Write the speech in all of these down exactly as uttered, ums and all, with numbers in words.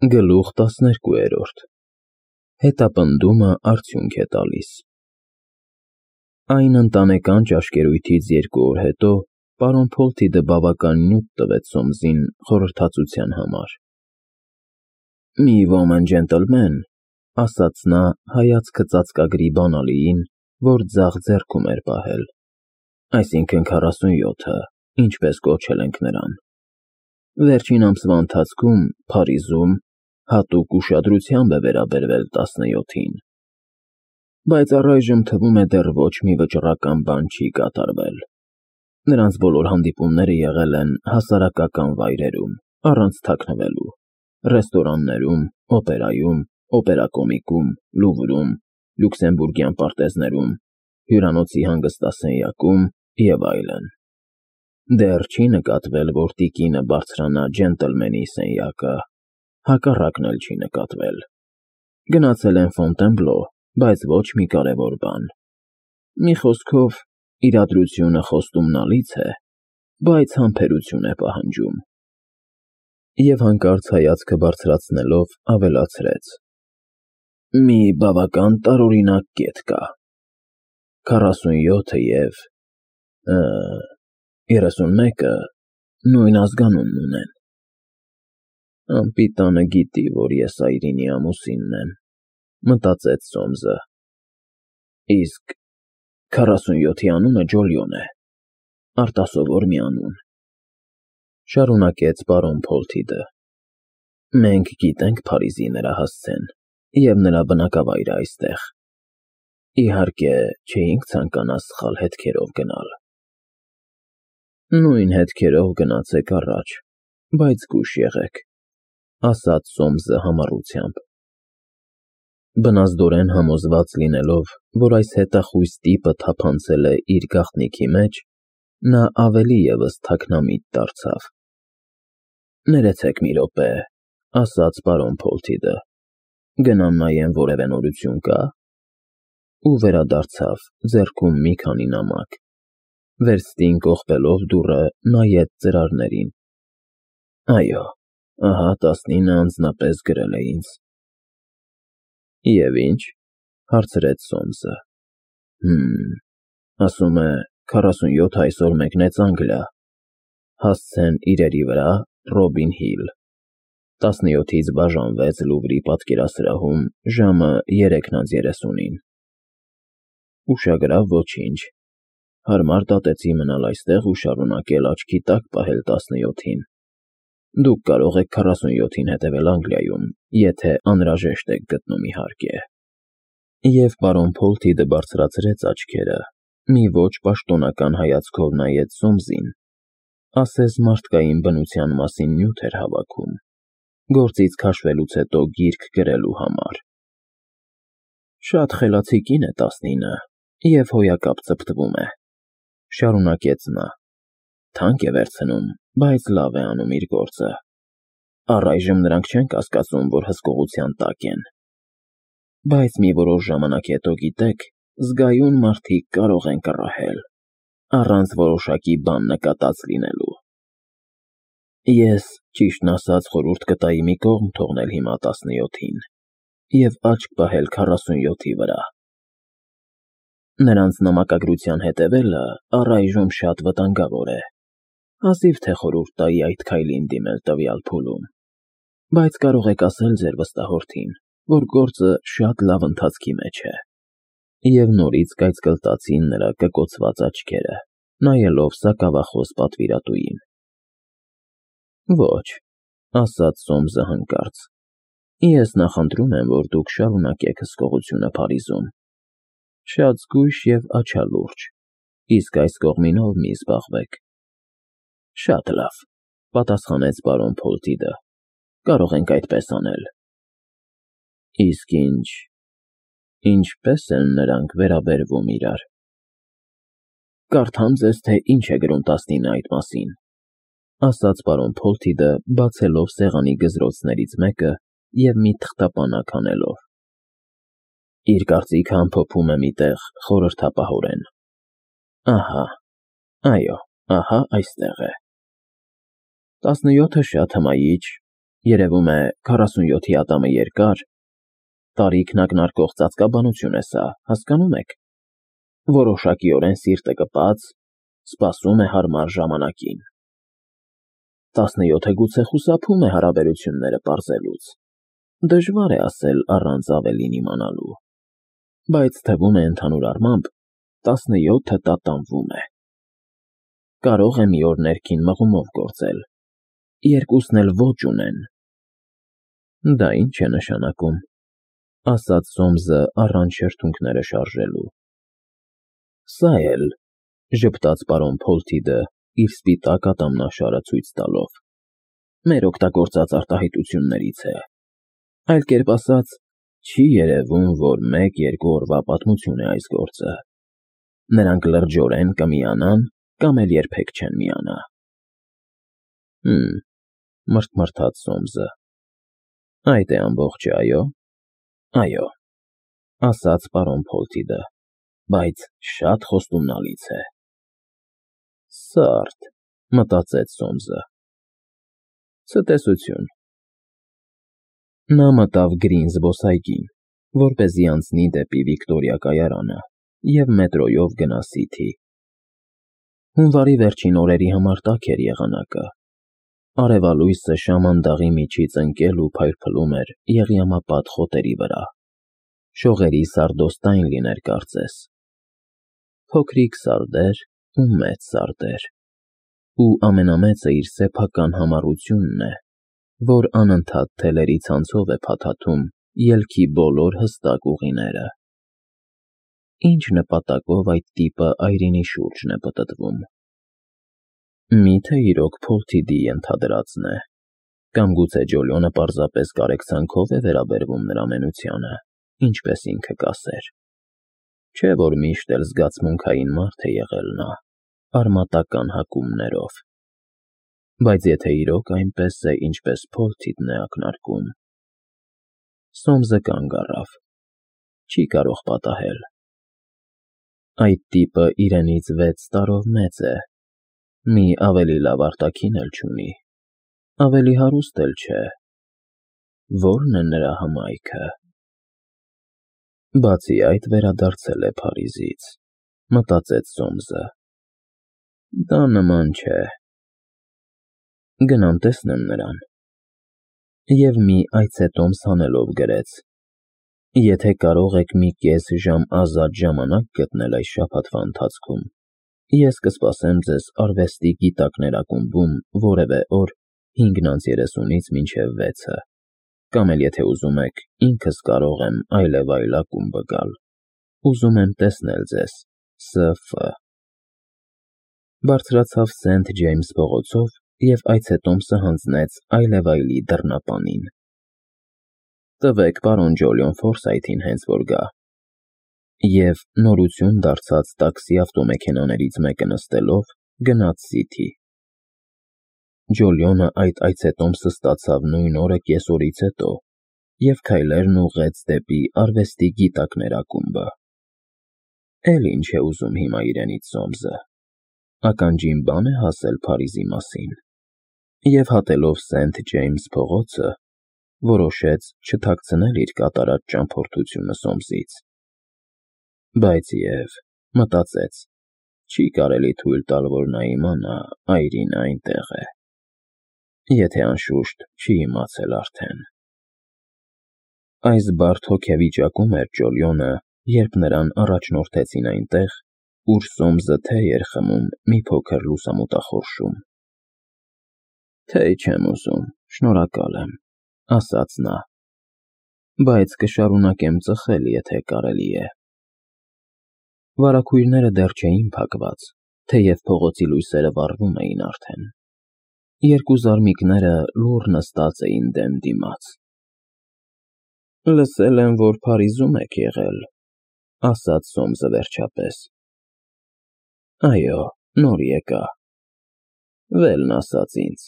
Գլուխ տասներկուերորդ Հետապնդումը արդյունք է տալիս։ Այն ընտանեկան ճաշկերույթից երկու օր հետո պարոն Փոլթիդը բավական նյութ տվեց Սոմսին խորհրդածության համար։ «Մի ոմն ջենտլմեն», ասաց նա հայացքը ծածկագրի բանալիին, որ ձախ ձեռքում էր պահել, այսինքն քառասունյոթը, ինչպես կոչել ենք նրան, վերջին ամսվա ընթացքում Փարիզում հատուկ ուշադրությամբ է վերաբերվել տասնյոթին, բայց առայժմ թվում է դեռ ոչ մի վճռական բան չի կատարվել։ Նրանց բոլոր հանդիպումները եղել են հասարակական վայրերում, առանց թաքնվելու, ռեստորաններում, օպերայում, օպերակոմիկում, Լուվրում, Լյուքսեմբուրգյան պարտեզներում, հյուրանոցի հանգստասենյակում և այլն։ Դեռ չի նկատվել, որ տիկինը բարձրանա ջենտլմենի սենյակը, հակառակն էլ չի նկատվել։ Գնացել են Ֆոնտենբլո, բայց ոչ մի կարևոր բան։ Մի խոսքով, իրադրությունը խոստումնալից է, բայց համբերություն է պահանջում։ Եվ հանկարծ հայացքը բարձրացնելով ավելացրեց. «Մի բավական տարօրինակ կետ կա։ Քառասունյոթը և երեսունմեկը նույն ազգանունն ունեն»։ «Անպիտանը գիտի, որ ես Այրինի ամուսինն եմ», մտածեց Սոմսը։ «Իսկ քառասունյոթի անունը Ջոլիոն է, արտասովոր մի անուն», շարունակեց պարոն Փոլթիդը։ «Մենք գիտենք Փարիզի նրա հասցեն և նրա բնակավայրը այստեղ։ Իհարկե, չէինք ցանկանա սխալ հետքերով գնալ»։ «Նույն հետքերով գնացեք առաջ, բայց զգույշ եղեք», ասաց Սոմսը համառությամբ։ Բնազդորեն համոզված լինելով, որ այս հետախույզ տիպը թափանցել է իր գաղտնիքի մեջ, նա ավելի ևս թաքնամիտ դարձավ։ «Ներեցեք մի րոպե», ասաց պարոն Փոլթիդը, «գնամ նայեմ որևէ նորություն կա»։ Ու վերադարձավ, ձեռքում մի քանի նամակ։ Վերստին կողպելով դուռը նայեց ծրարներին։ «Այո, ահա տասնինը անձնապես գրել է ինձ»։ «Եվ ի՞նչ», հարցրեց Սոմսը։ «Հըմ, ասում է քառասունյոթը այսօր մեկնեց Անգլիա, հասցեն իրերի վրա Ռոբին Հիլ, տասնյոթից բաժանվեց Լուվրի պատկերասրահում ժամը երեքն անց երեսունին։ Ուշագրավ ոչինչ, հարմար դատեցի մնալ այստեղ ու շարունակել աչքի տակ պահել տասնյոթին։ Դուք կարող եք քառասունյոթին հետևել Անգլիայում, եթե անհրաժեշտ եք գտնում, իհարկե»։ Եվ պարոն Փոլթիդը բարձրացրեց աչքերը, մի ոչ պաշտոնական հայացքով նայեց Սոմսին, ասես մարդկային բնության մասին նյութ էր հավաքում, գործից քաշվելուց հետո գիրք գրելու համար։ «Շատ խելացի կին է տասնինը և հոյակապ ծպտվում է», շարունակեց նա։ «Թանկ է վերցնում, բայց լավ է անում իր գործը։ Առայժմ նրանք չեն կասկածում, որ հսկողության տակ են։ Բայց մի որոշ ժամանակ հետո, գիտեք, զգայուն մարդիկ կարող են կռահել, առանց որոշակի բան նկատած լինելու։ Ես, ճիշտն ասած, խորհուրդ կտայի մի կողմ թողնել հիմա տասնյոթին և աչք պահել քառասունյոթի վրա։ Նրանց նամակագրության հետևելը առայժմ շատ վտանգավոր է, հազիվ թե խորհուրդ տայի այդ քայլին դիմել տվյալ փուլում, բայց կարող եք ասել ձեր վստահորդին, որ գործը շատ լավ ընթացքի մեջ է»։ Եվ նորից կայծկլտացին նրա կկոցված աչքերը, նայելով սակավախոս պատվիրատուին։ «Ոչ», ասաց Սոմսը հանկարծ, «ես նախընտրում եմ, որ դուք շարունակեք հսկողությունը Փարիզում։ Շատ զգույշ և աչալուրջ, իսկ այս կողմինով մի զբաղվեք»։ «Շատ լավ», պատասխանեց պարոն Փոլթիդը, «կարող ենք այդպես անել»։ «Իսկ ինչ… ինչպե՞ս են նրանք վերաբերվում իրար»։ «Կարդամ ձեզ, թե ինչ է գրում տասնինը այդ մասին», ասաց պարոն Փոլթիդը, բացելով սեղանի գզրոցներից մեկը և մի թղթապանակ հանելով։ Իր կարծիքը ամփոփում է մի տեղ խորհրդապահորեն։ Ահա, այո, ահա այստեղ է. «Տասնյոթը շատ հմայիչ, Երևում է քառասունյոթի ատամը երկար, տարիքն ակնարկող ծածկաբանություն է սա, հասկանում եք, որոշակիորեն սիրտը կպած, սպասում է հարմար ժամանակին։ Տասնյոթը գուցե խուսափում է հարաբերությունները պարզելուց, դժվար է ասել առանց ավելին իմանալու, բայց թվում է ընդհանուր առմամբ տասնյոթը տատանվում է։ Կարող է մի օր ներքին մղումով գործել, երկուսն էլ ոչ ունեն։ Դա ինչ է նշանակում, ասաց Սոմսը առանց շրթունքները շարժելու։ Սա էլ, ժպտաց պարոն Փոլթիդը իր սպիտակ ատամնաշարը ցույց տալով, մեր օգտագործած արտահայտություններից է, այլ կերպ ասած, չի երևում, որ մեկ-երկու օրվա պատմություն է այս գործը։ Նրանք լրջորեն կմիանան կամ էլ երբեք չեն միանա։ Հմ, մռթմռթաց Սոմսը։ Այդ է ամբողջը, այո։ Այո, ասաց պարոն Փոլթիդը, բայց շատ խոստումնալից է։ Սարդ, մտածեց Սոմսը։ Ցտեսություն։ Նա մտավ Գրին զբոսայգին, որպեսզի անցնի դեպի Վիկտորիա կայարանը և մետրոյով գնա Սիթի։ Հունվարի վերջին օրերի համար տաք էր եղանակը։ Արևալույսը շամանդաղի միջից ընկել ու փայլփլում էր եղյամապատ խոտերի վրա։ Շողերի սարդոստայն լիներ կարծես։ Փոքրիկ սարդեր ու մեծ սարդեր։ Ու ամենամեծը իր սեփական համառությունն է, որ անընդհատ թելերի ցանցով է փաթաթում ելքի բոլոր հստակ ուղիները։ Ինչ նպատակով այդ տիպը այրինի շուրջն է պտտվում։ Միթե իրոք Փոլթիդի ենթադրածն է, կամ գուցե Ջոլիոնը պարզապես կարեկցանքով է վերաբերվում նրա մենությանը, ինչպես ինքը կասեր։ Չէ՞ որ միշտ էլ զգացմունքային մարդ է եղել նա, արմատական հակումներով։ Բայց եթե իրոք այնպես է, ինչպես Փոլթիդն է ակնարկում… Սոմսը կանգ առավ։ Չի կարող պատահել։ Այդ տիպը իրենից վեց տարով մեծ է, մի ավելի լավ արտաքին էլ չունի, ավելի հարուստ էլ չէ։ Ո՞րն է նրա հմայքը։ Բացի այդ, վերադարձել է Փարիզից, մտածեց Սոմսը։ Դա նման չէ։ Գնամ տեսնեմ նրան։ Եվ մի այցետոմս հանելով գրեց. Եթե կարող եք մի կես ժամ ազատ ժամանակ գտնել այս շաբաթվա ընթացքում, ես կսպասեմ ձեզ արվեստի գիտակներ ակումբում որևէ օր հինգն անց երեսունից մինչև վեցը, կամ էլ եթե ուզում եք, ինքս կարող եմ այլևայլ ակումբը գալ։ Ուզում եմ տեսնել ձեզ Ս Ֆ Բարձրացավ Սենթ Ջեյմս փողոցով և այցետոմսը հանձնեց այլևայլի դռնապանին։ Տվեք պարոն Ջոլիոն Ֆորսայթին հենց որ գա։ Եվ նորություն դարձած տաքսի ավտոմեքենաներից մեկը նստելով գնաց Սիթի։ Ջոլիոնը այդ այցետոմսը ստացավ նույն օրը կեսօրից հետո և քայլերն ուղղեց դեպի արվեստի գիտակներ ակումբը։ Էլ ինչ է ուզում հիմա իրենից Սոմսը։ Ականջին բան է հասել Փարիզի մասին։ Եվ հատելով Սենթ Ջեյմս փողոցը, որոշեց չթաքցնել իր կատարած ճամփորդությունը Սոմսից։ Բայց և, մտածեց, չի կարելի թույլ տալ, որ նա իմանա այրինը այնտեղ է։ Եթե անշուշտ չի իմացել արդեն։ Այս բարդ հոգեվիճակում էր Ջոլիոնը, երբ նրան առաջնորդեցին այնտեղ, ուր Սոմսը թե էր խմում մի փոքր լուսամուտախորշում։ Թե չեմ ուզում, շնորհակալ եմ, ասաց նա, բայց կշարունակեմ ծխել, եթե կարելի է։ Վարագույրները դեռ չէին փակված, թեև փողոցի լույսերը վառվում էին արդեն։ Երկու զարմիկները լուռ նստած էին դեմ դիմաց։ Լսել եմ, որ Փարիզում եք եղել, ասաց Սոմսը վերջապես։ Այո, նոր եկա։ Վելն ասաց ինձ։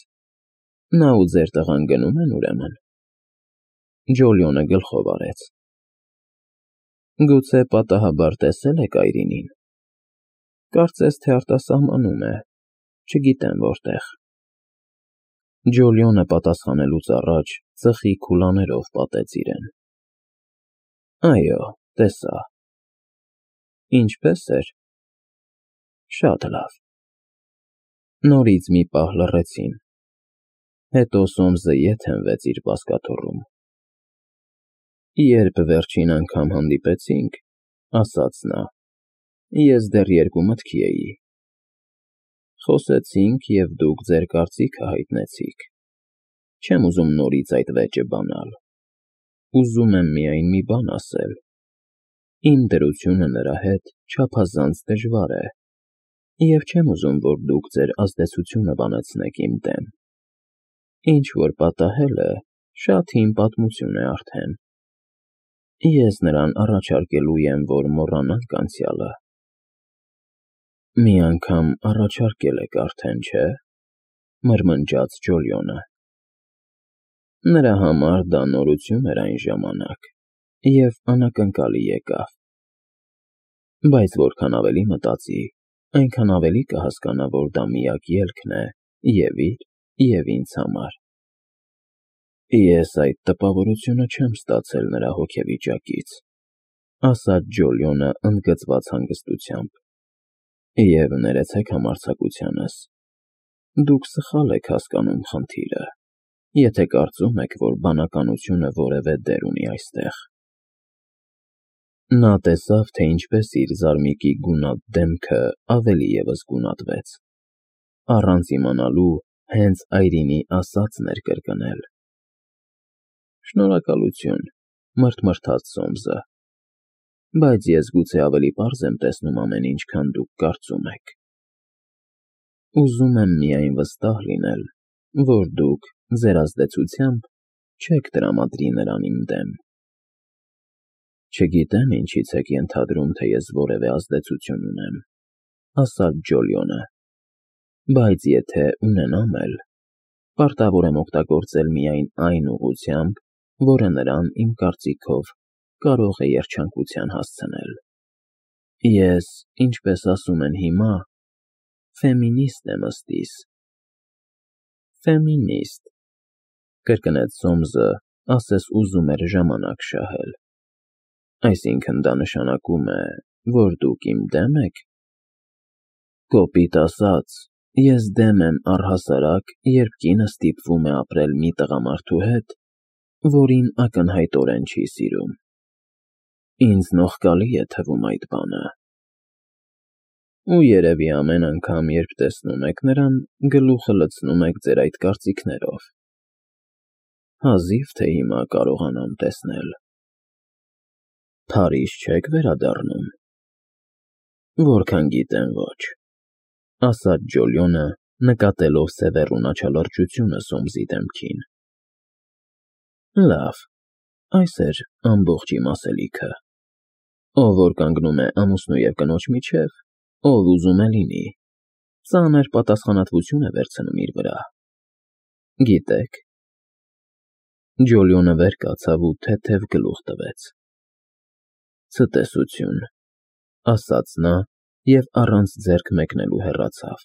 Նա ու ձեր տղան գնում են ուրեմն։ Ջոլիոնը գլխով արեց։ Գուցե պատահաբար տեսել եք այրինին։ Կարծես թե արտասահմանում է, չգիտեմ որտեղ։ Ջոլիոնը պատասխանելուց առաջ ծխի քուլաներով պատեց իրեն։ Այո, տեսա։ Ինչպե՞ս էր։ Շատ լավ։ Նորից մի պահ լռեցին։ Հետո Սոմսը ետ հենվեց իր բազկաթոռում։ Երբ վերջին անգամ հանդիպեցինք, ասաց նա, ես դեռ երկու մտքի էի։ Խոսեցինք, և դուք ձեր կարծիքը հայտնեցիք։ Չեմ ուզում նորից այդ վեճը բանալ։ Ուզում եմ միայն մի բան ասել. իմ դրությունը նրա հետ չափազանց դժվար է, և չեմ ուզում, որ դուք ձեր ազդեցությունը բանեցնեք իմ դեմ։ Ինչ-որ պատահել է, շատ հին պատմություն է արդեն։ Ես նրան առաջարկելու եմ, որ մոռանանք անցյալը։ Մի անգամ առաջարկել եք արդեն, չէ՞, մրմնջաց Ջոլիոնը։ Նրա համար դա նորություն էր այն ժամանակ, և անակնկալի եկավ։ Բայց որքան ավելի մտածի, այնքան ավելի կհասկանա, որ դա միակ ելքն է և իր, և ինձ համար։ Ես այդ տպավորությունը չեմ ստացել նրա հոգեվիճակից, ասաց Ջոլիոնը ընդգծված հանգստությամբ, և ներեցեք համարձակությանս, դուք սխալ եք հասկանում խնդիրը, եթե կարծում եք, որ բանականությունը որևէ դեր ունի այստեղ։ Նա տեսավ, թե ինչպես իր զարմիկի գունատ դեմքը ավելի ևս գունատվեց, առանց իմանալու հենց այրինի ասածն էր կրկնել։ Շնորհակալություն, մռթմռթաց Սոմսը, բայց ես գուցե ավելի պարզ եմ տեսնում ամեն ինչ, քան դուք կարծում եք։ Ուզում եմ միայն վստահ լինել, որ դուք ձեր ազդեցությամբ չեք տրամադրի նրան իմ դեմ։ Չգիտեմ ինչից եք ենթադրում, թե ես որևէ ազդեցություն ունեմ, ասաց Ջոլիոնը, բայց եթե ունենամ էլ, պարտավոր եմ օգտագործել միայն այն ուղղությամբ, որը նրան, իմ կարծիքով, կարող է երջանկության հասցնել։ Ես, ինչպես ասում են հիմա, ֆեմինիստ եմ ըստիս։ Ֆեմինիստ, կրկնեց Սոմսը, ասես ուզում էր ժամանակ շահել։ Այսինքն դա նշանակում է, որ դուք իմ դեմ եք։ Կոպիտ ասած, ես դեմ եմ առհասարակ, երբ կինը ստիպվում է ապրել մի տղամարդու հետ, որին ակնհայտորեն չի սիրում։ Ինձ նողկալի է թվում այդ բանը։ Ու երևի ամեն անգամ, երբ տեսնում եք նրան, գլուխը լցնում եք ձեր այդ կարծիքներով։ Հազիվ թե հիմա կարողանամ տեսնել։ Փարիզ չեք վերադառնում։ Որքան գիտեմ, ոչ, ասաց Ջոլիոնը, նկատելով սևեռուն աչալրջությունը Սոմսի դեմքին։ Լավ, այս էր ամբողջ իմ ասելիքը։ Ով որ կանգնում է ամուսնու և կնոջ միջև, ով ուզում է լինի, ծանր պատասխանատվություն է վերցնում իր վրա։ Գիտեք։ Ջոլիոնը վեր կացավ ու թեթև գլուխ տվեց։ Ցտեսություն, ասաց նա և առանց ձեռք մեկնելու հեռացավ,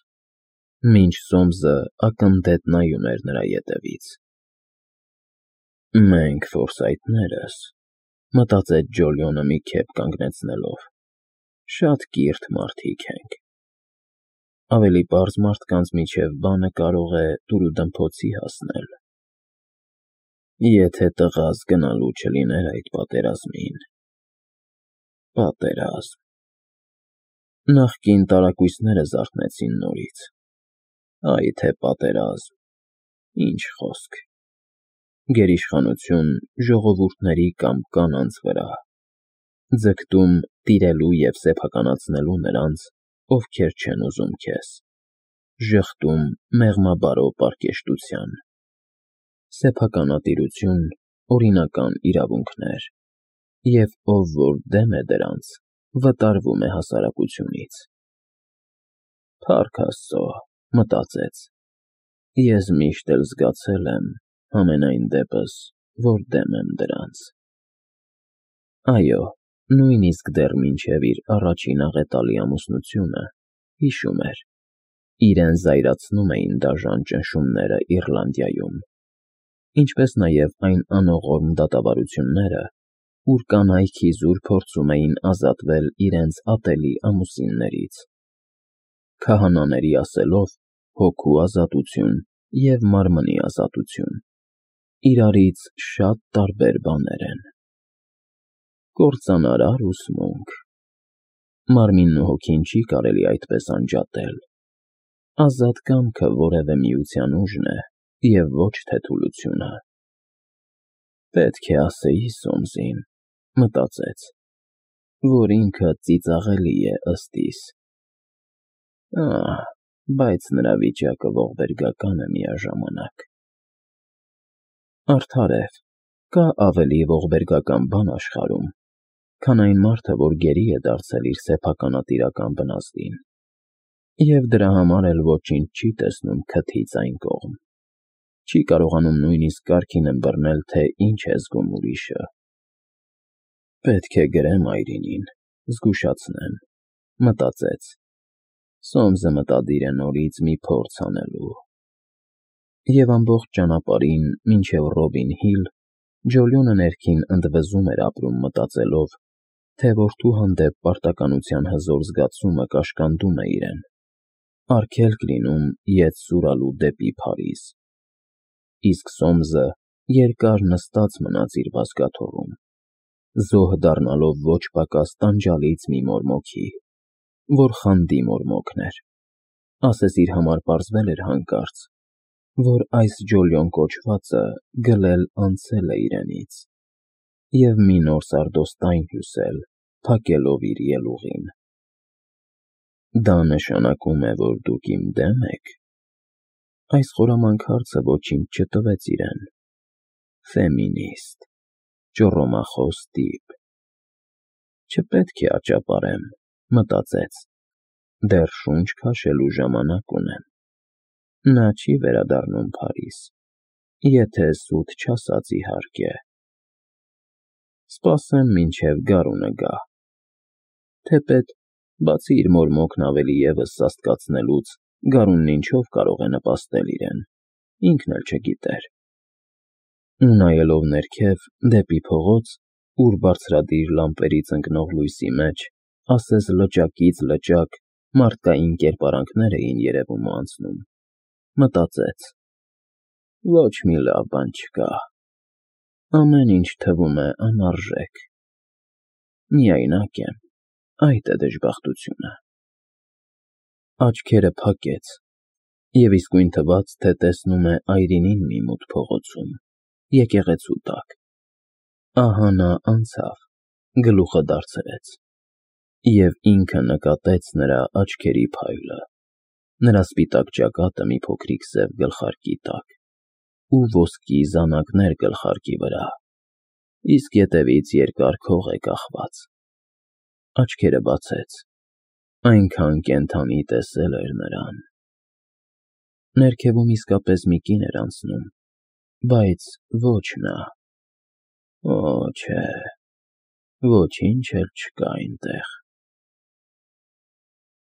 մինչ Սոմսը ակնթեթ նայում էր նրա ետևից։ Մենք ֆորսայթներս, մտածեց Ջոլիոնը մի քեֆ կանգնեցնելով, շատ կիրթ մարդիկ ենք։ Ավելի պարզ մարդկանց միջև բանը կարող է դուրուդմփոցի հասնել։ Եթե տղաս գնալու չլիներ այդ պատերազմին։ Պատերազմ։ Նախկին տարակույսները զարթնեցին նորից։ Այ թե պատերազմ, ինչ խոսք։ Գերիշխանություն ժողովուրդների կամ կանանց վրա, ձգտում տիրելու և սեփականացնելու նրանց, ովքեր չեն ուզում քեզ, ժխտում մեղմաբարո պարկեշտության, սեփականատիրություն, օրինական իրավունքներ, և ով որ դեմ է դրանց, վտարվում է հասարակությունից։ Փառք Աստծո, մտածեց, ես միշտ էլ զգացել եմ, համենայն դեպս, որ դեմ եմ դրանց։ Այո, նույնիսկ դեռ մինչև իր առաջին աղետալի ամուսնությունը, հիշում էր, Իրեն զայրացնում էին դաժան ճնշումները Իռլանդիայում, ինչպես նաև այն անողորմ դատավարությունները, ուր կանայք իզուր փորձում էին ազատվել իրենց ատելի ամուսիններից։ Քահանաների ասելով, հոգու ազատություն և մարմնի ազատություն իրարից շատ տարբեր բաներ են։ Կործանարար ուսմունք։ Մարմինն ու հոգին չի կարելի այդպես անջատել։ Ազատ կամքը որևէ միության ուժն է և ոչ թե թուլությունը։ Պետք է ասեի Սոմսին, մտածեց, որ ինքը ծիծաղելի է ըստ իս։ Ահ, բայց նրա վիճակը ողբերգական է միաժամանակ։ Արդարև, կա ավելի ողբերգական բան աշխարհում, քան այն մարդը, որ գերի է դարձել իր սեփականատիրական բնազդին, և դրա համար էլ ոչինչ չի տեսնում քթից այն կողմ, չի կարողանում նույնիսկ կարգին ըմբռնել, թե ինչ է զգում ուրիշը։ Պետք է գրեմ այրինին, զգուշացնեմ, մտածեց։ Սոմսը մտադիր է նորից մի փորձ անելու։ Եվ ամբողջ ճանապարհին մինչև Ռոբին Հիլ Ջոլիոնը ներքին ընդվզում էր ապրում մտածելով, թե որդու հանդեպ պարտականության հզոր զգացումը կաշկանդում է իրեն, արգելք լինում ետ սուրալու դեպի Փարիզ։ Իսկ Սոմսը երկար նստած մնաց իր բազկաթոռում, զոհ դառնալով ոչ պակաս տանջալից մի մորմոքի, որ խանդի մորմոքն էր, ասես իր համար պարզվել էր հանկարծ, որ այս Ջոլիոն կոչվածը գլել անցել է իրենից, և մի նոր սարդոստայն հյուսել, փակելով իր ելուղին։ Դա նշանակում է, որ դուք իմ դե՞մ եք։ Այս խորամանկ հարցը ոչինչ չտվեց իրեն։ Ֆեմինիստ, ճոռոմախոս տիպ։ Չպետք է աճապարեմ, մտածեց, դեռ շունչ քաշելու ժամանակ ունեմ։ Նա չի վերադառնում Փարիզ, եթե սուտ չասած իհարկե։ Սպասեմ մինչև գարունը գա։ Թեպետ, բացի իր մորմոքն ավելի ևս սաստկացնելուց, գարունն ինչով կարող է նպաստել իրեն, ինքն էլ չգիտեր։ Ու նայելով ներքև, դեպի փողոց, ուր բարձրադիր լամպերից ընկնող լույսի մեջ, ասես լճակից լճակ, մարդկային կերպարանքներ էին երևում ու անցնում, մտածեց. ոչ մի լավ բան չկա։ Ամեն ինչ թվում է անարժեք։ Միայնակ եմ, այդ է դժբախտությունը։ Աչքերը փակեց, և իսկույն թվաց, թե տեսնում է այրինին մի մութ փողոցում, եկեղեցու տակ։ Ահա նա անցավ, գլուխը դարձրեց, և ինքը նկատեց նրա աչքերի փայլը, նրա սպիտակ ճակատը մի փոքրիկ սև գլխարկի տակ ու ոսկի զանակներ գլխարկի վրա, իսկ ետևից երկար քող է կախված։ Աչքերը բացեց, այնքան կենդանի տեսել էր նրան։ Ներքևում իսկապես մի կին էր անցնում, բայց ոչ նա։ Օ, չէ, ոչինչ էլ չկա այնտեղ։